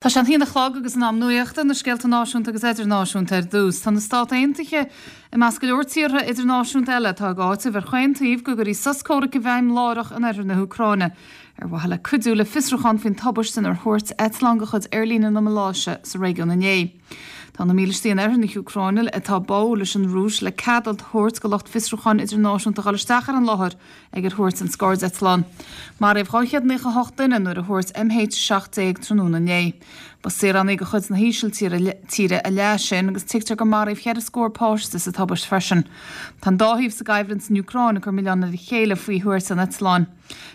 Tá sé an haon a chlog agus in am nuachta, na scéalta náisiúnta agus idirnáisiúnta ar dtús. Tá na Stát Aontaithe i measc go leor tíortha idirnáisiúnta eile atá ag áiteamh ar chaon taobh go gcuirfí sos comhraic i bhfeidhm láithreach in oirthear na hÚcráine ar mhaithe le cuidiú le fiosrúchán faoin tubaiste inar thuairt eitleán de chuid aerlíne na Maláise sa réigiún inné. Tá na mílístí in oirthear na hÚcráine atá báúil leis an Rúis le cead a thabhairt do lucht fiosrúcháin idirnáisiúnta dhul isteach ar an láthair ag ar thuairt an scairdeitleán. Maraíodh 298 duine nuair a thuairt MH17 tráthnóna inné. Ba saoránaigh de chuid na hÍsiltíre a leath sin agus tuigtear gur maraíodh cheithre scór páiste sa tubaist freisin. Tá an dá thaobh sa gcoimhlint san Úcráin ag cur milleáin ar a chéile faoi thuairt an eitleáin.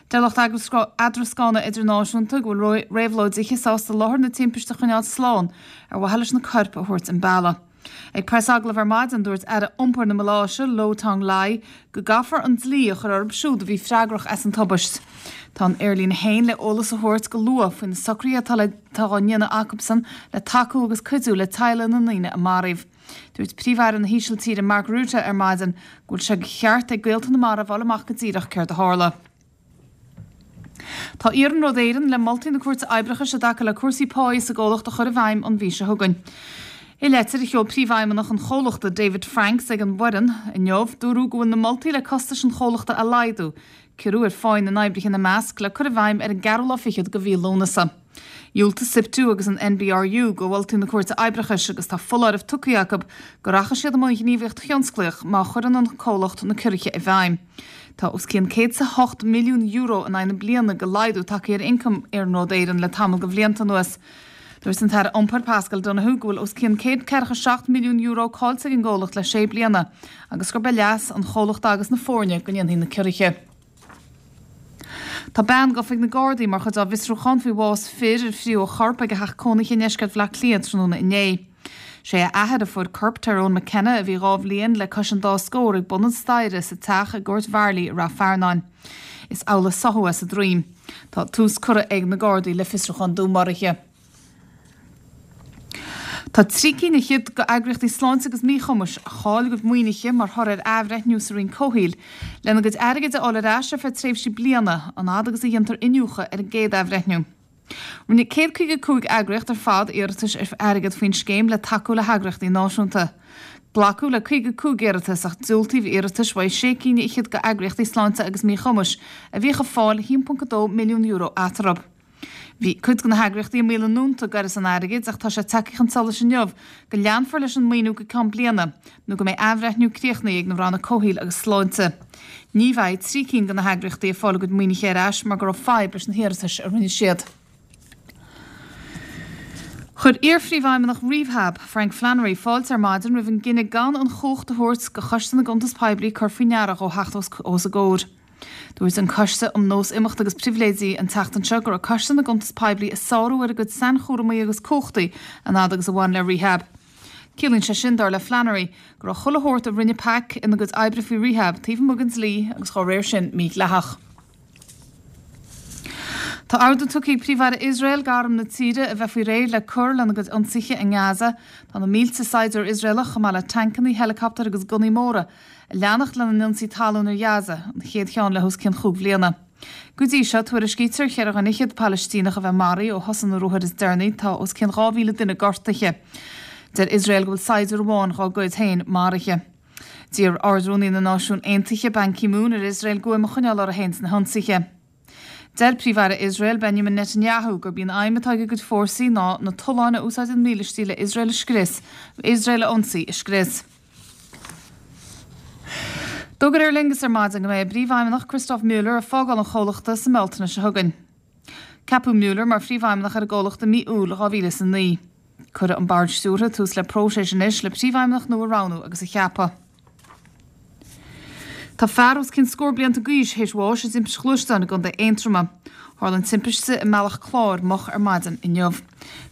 Deir lucht eadrascána idirnáisiúnta go bhfuil réabhlóidithe sásta láthair na timpiste a choinneáil slán ar mhaithe leis na coirp a thabhairt an bealach. Ag preasagallamh ar maidin, dúirt Aire Iompair na Maláise, Liow Tiong Lai, go gcaithfear an dlí a chur orthu siúd a bhí freagrach as an tubaist. Tá an aerlíne féin le eolas a thabhairt go luath faoi na socruithe atá le atá á ndéanamh acusan le tacú agus cuidiú le teaghlaigh na ndaoine a maraíodh. Dúirt Príomh-Aire na hÍsiltíre Mark Rutte ar maidin go bhfuil sé de cheart ag gaolta na marbh fháil amach go díreach céard a tharla. Tá Iarnród Éireann le moltaí na Cúirte Oibreachais i dtaca le cúrsaí páí sa gcomhlacht a chur i bhfeidhm an mhí seo chugainn. I leitir a sheol Príomhfheidhmeannach an chomhlachta, David Franks, ag an bhfoireann inniu, dúradh go bhfuil na moltaí le costais an chomhlachta a laghdú, ciorrú ar pháí na n-oibrithe ina measc, le cur i bhfeidhm ar an gceathrú lá fichead de mhí Lúnasa. Dhiúltaigh Siptu agus an NBRU do mholtaí na Cúirte Oibreachais agus tá foláireamh tugtha acu go rachaidh siad i mbun gníomhaíocht thionsclaíoch má chuireann an comhlacht na ciorruithe i bhfeidhm. Tá os cionn €108 milliún in aghaidh na bliana de laghdú tagtha ar ioncam Iarnród Éireann le tamall de bhlianta anuas. Dúirt an tAire Iompair Paschal Donohoe go bhfuil os cionn €147 milliún caillte ag an gcomhlacht le sé bliana agus gurb é leas an chomhlachta agus na foirne go ndéanfaí na ciorruithe. Tá bean gafa ag na Gardaí mar chuid dá bhfiosrúchán faoi bhás fir ar fríodh a chorp ag a theach cónaithe i ndeisceart Bhaile Átha Cliath tráthnóna inné. Sé a athair a fuair corp Tyrone McKenna, a bhí 2 bhliain le cois an dá scór, ag bun an staighre sa teach i gCúirt Mharlaí i Rath Fearnáin. Is amhlaidh a sáthadh é sa droim. Tá tús curtha ag na Gardaí le fiosrúchán dúnmharaithe. Tá trí cinn fhichead d'eagraíochtaí sláinte agus míchumais a chaill a gcuid maoinithe mar thoradh ar athbhreithniú sa Roinn Comhshaoil lena gcuid airgid a fháil ar ais ar feadh tréimhse bliana, an fhad agus a dhéantar iniúchadh ar an gcéad athbhreithniú. Rinne 155 eagraíocht ar fad iarratais ar airgead faoin scéim le tacú le heagraíochtaí náisiúnta. Glacadh le 55 iarratas ach diúltaíodh iarratais uaidh sé cinn fhichead d'eagraíochtaí sláinte agus míchumais a bhíodh ag fáil €1.2 milliún eatarthu. Bhí cuid de na heagraíochtaí i mbaol a ndúnta d'uireasa an airgid ach tá sé tagtha chun solais inniu go leanfar leis an maoiniú go ceann bliana nó go mbeidh athbhreithniú críochnaithe ag na Ranna Comhshaoil agus Sláinte. Ní bheidh trí cinn de na heagraíochtaí ag fáil a gcuid maoinithe ar ais mar go raibh fadhb leis na hiarratais a rinne siad. Chuir iar-phríomhfheidhmeannach Rehab, Frank Flannery, fáilte ar maidin roimh an gcinneadh gan an chumhacht a thabhairt do Choiste na gCuntas Poiblí cur faoi ndeara dhó theacht os a gcomhair. Dúirt an Coiste um Nós Imeachta agus Pribhléidí an tseachtain seo go raibh Coiste na gCuntas Poiblí ag sárú ar a gcuid sainchúramaí agus cumhachtaí an fhad agus a bhain le Rehab. Ciallaíonn sé sin, dar le Flannery, go raibh chuile shórt a rinne PAC ina gcuid oibre faoi Rehab taobh amuigh den dlí agus dá réir sin mídhleathach. Tá ordú tugtha ag Príomh-Aire Iosrael d'arm na tíre a bheith faoi réir le cur lena gcuid ionsaithe i nGaza. Tá na mílte saighdiúir Iosraelach, chomh maith le tancanna, heileacaptair agus gunnaí móra, ag leanacht lena n-ionsaí talún ar Ghaza, an chéad cheann le hos cionn chúig bhliana. Go dtí seo, tuairiscítear cheithre dhuine fhichead Palaistíneach a bheith maraithe ó thosaigh na ruathair is deireanaí, tá os cionn 2,000 duine gortaithe. Deir Iosrael go bhfuil saighdiúir amháin dhá gcuid féin maraithe. D'iarr Ard-Rúnaí na Náisiún Aontaithe, Ban Ki-moon, ar Iosrael guaim a choinneáil orthu féin sna hionsaithe. Deir Príomh-Aire Iosrael, Benjamin Netanyahu, gurb í an aidhm atá ag a gcuid fórsaí ná na tolláin a úsáideann mílístí le Iosrael a scrios, Iosrael a ionsaí, a scrios. D'fhógair Aer Lingus ar maidin go mbeidh a bPríomhfheidhmeannach Christoph Mueller ag fágáil an chomhlachta sa mBealtaine seo chugainn. Ceapadh Mueller mar Phríomhfheidhmeannach ar an gcomhlacht i mí Iúil 2009. Cuirfidh an Bord Stiúrtha tús le próiseas anois le Príomhfheidhmeannach nua a roghnú agus a cheapadh. Tá fear os cionn scór blianta d'aois théis bháis i dtimpiste ghluaisteáin i gContae Aontroma. Tharla an timpiste i mBealach Cláir moch ar maidin inniu.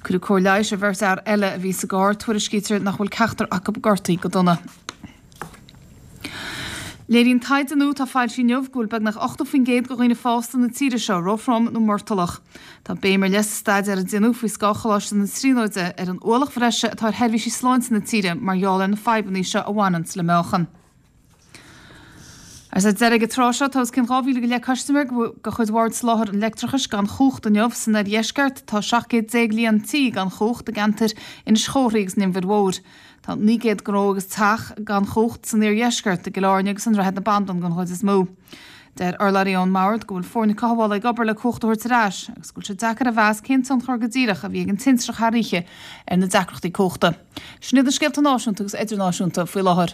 Cuireadh cóir leighis ar bheirt fhear eile a bhí sa gcarr, tuairiscítear nach bhfuil ceachtar acu gortaithe go dona. Léiríonn taighde nua atá foilsithe inniu go bhfuil beagnach 80% de dhaoine fásta na tíre seo róthrom nó murtallach. Tá béim ar leith sa staidéar a déanadh faoi scáth Choláiste na Tríonóide ar an ualach bhreise atá ar sheirbhísí sláinte na tíre mar gheall ar na fadhbanna seo a bhaineanns le meáchan. Agus ar deireadh ag an tráth seo, tá os cionn 2,000 go leith custaiméir de chuid Bhord Soláthair an Leictreachais gan chumhacht inniu. San oirdheisceart, tá 17 céad líon tí gan chumhacht i gceantair Inis Chórthaidh agus an Inbhir Mhóir. Tá 900 gnó agus teach gan chumhacht san iardheisceart, i gCill Airne agus i nDroichead na Bandan den chuid is mó. Deir urlabhraí ón mBord go bhfuil foirne cothabhála ag obair le cumhacht a thabhairt ar ais agus go bhfuil sé deacair a mheas cén tionchar go díreach a bhí ag an tintreach thar oíche ar na deacrachtaí cumhachta. Sin iad na scéalta náisiúnta agus idirnáisiúnta faoi láthair.